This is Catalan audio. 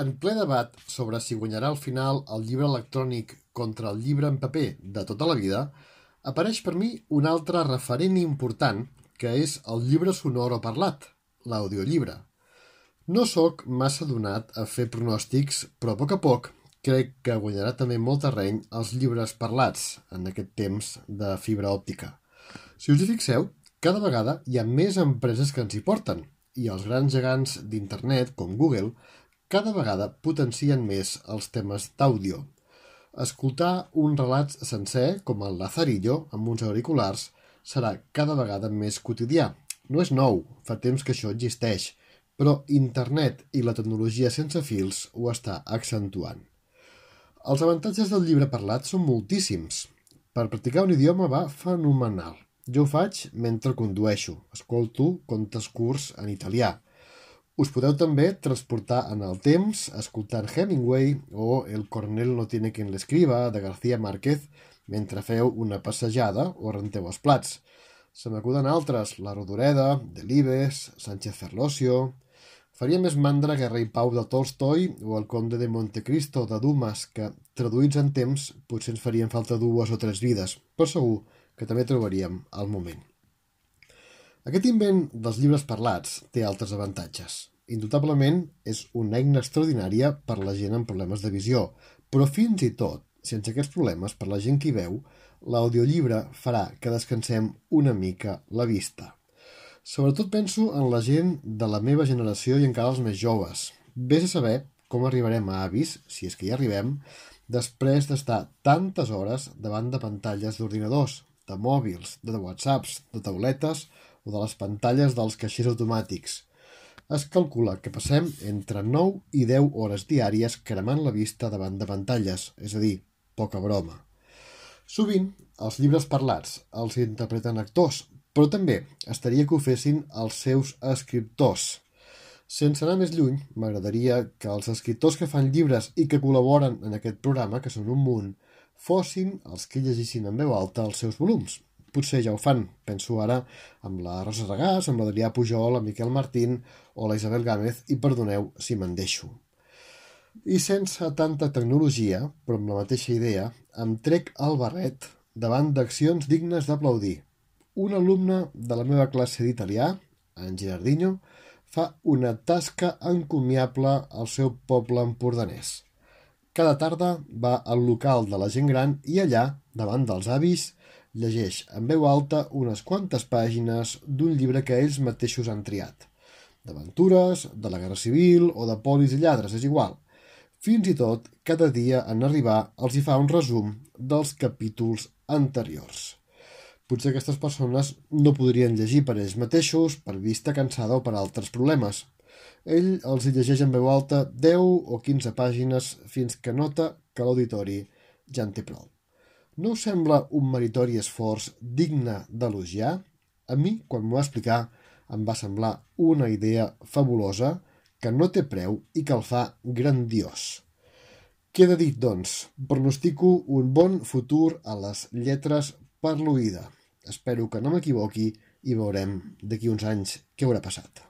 En ple debat sobre si guanyarà al final el llibre electrònic contra el llibre en paper de tota la vida, apareix per mi un altre referent important, que és el llibre sonor o parlat, l'audiollibre. No sóc massa donat a fer pronòstics, però a poc crec que guanyarà també molt terreny els llibres parlats en aquest temps de fibra òptica. Si us hi fixeu, cada vegada hi ha més empreses que ens hi porten, i els grans gegants d'internet, com Google, cada vegada potencien més els temes d'àudio. Escoltar un relat sencer, com el Lazarillo, amb uns auriculars, serà cada vegada més quotidià. No és nou, fa temps que això existeix, però internet i la tecnologia sense fils ho està accentuant. Els avantatges del llibre parlat són moltíssims. Per practicar un idioma va fenomenal. Jo ho faig mentre condueixo. Escolto contes curts en italià. Us podeu també transportar en el temps escoltant Hemingway o El coronel no tiene quien l'escriba de García Márquez mentre feu una passejada o renteu els plats. Se m'acuden altres, La Rodoreda, Delibes, Sánchez Ferlosio. Faria més mandra que Rei Pau de Tolstoi o El conde de Montecristo de Dumas, que, traduïts en temps, potser ens farien falta 2 o 3 vides, però segur que també trobaríem el moment. Aquest invent dels llibres parlats té altres avantatges. Indubtablement és una eina extraordinària per la gent amb problemes de visió, però fins i tot, sense aquests problemes per la gent que hi veu, l'audiollibre farà que descansem una mica la vista. Sobretot penso en la gent de la meva generació i encara els més joves. Vés a saber com arribarem a avis, si és que hi arribem, després d'estar tantes hores davant de pantalles d'ordinadors, de mòbils, de whatsapps, de tauletes o de les pantalles dels caixers automàtics. Es calcula que passem entre 9 i 10 hores diàries cremant la vista davant de pantalles, és a dir, poca broma. Sovint, els llibres parlats els interpreten actors, però també estaria que ho fessin els seus escriptors. Sense anar més lluny, m'agradaria que els escriptors que fan llibres i que col·laboren en aquest programa, que són un munt, fossin els que llegissin en veu alta els seus volums. Potser ja ho fan, penso ara amb la Rosa Regàs, amb l'Adrià Pujol, amb Miquel Martín o la Isabel Gámez, i perdoneu si me'n deixo. I sense tanta tecnologia, però amb la mateixa idea, em trec el barret davant d'accions dignes d'aplaudir. Un alumne de la meva classe d'italià, en Gerardinho, fa una tasca encomiable al seu poble empordanès. Cada tarda va al local de la gent gran i allà, davant dels avis, llegeix en veu alta unes quantes pàgines d'un llibre que ells mateixos han triat. D'aventures, de la Guerra Civil o de polis i lladres, és igual. Fins i tot, cada dia en arribar els hi fa un resum dels capítols anteriors. Potser aquestes persones no podrien llegir per ells mateixos, per vista cansada o per altres problemes. Ell els hi llegeix en veu alta 10 o 15 pàgines fins que nota que l'auditori ja en té prou. No us sembla un meritori esforç digne d'elogiar? A mi, quan m'ho va explicar, em va semblar una idea fabulosa que no té preu i que el fa grandiós. Queda dit, doncs, pronostico un bon futur a les lletres per l'oïda. Espero que no m'equivoqui i veurem d'aquí uns anys què haurà passat.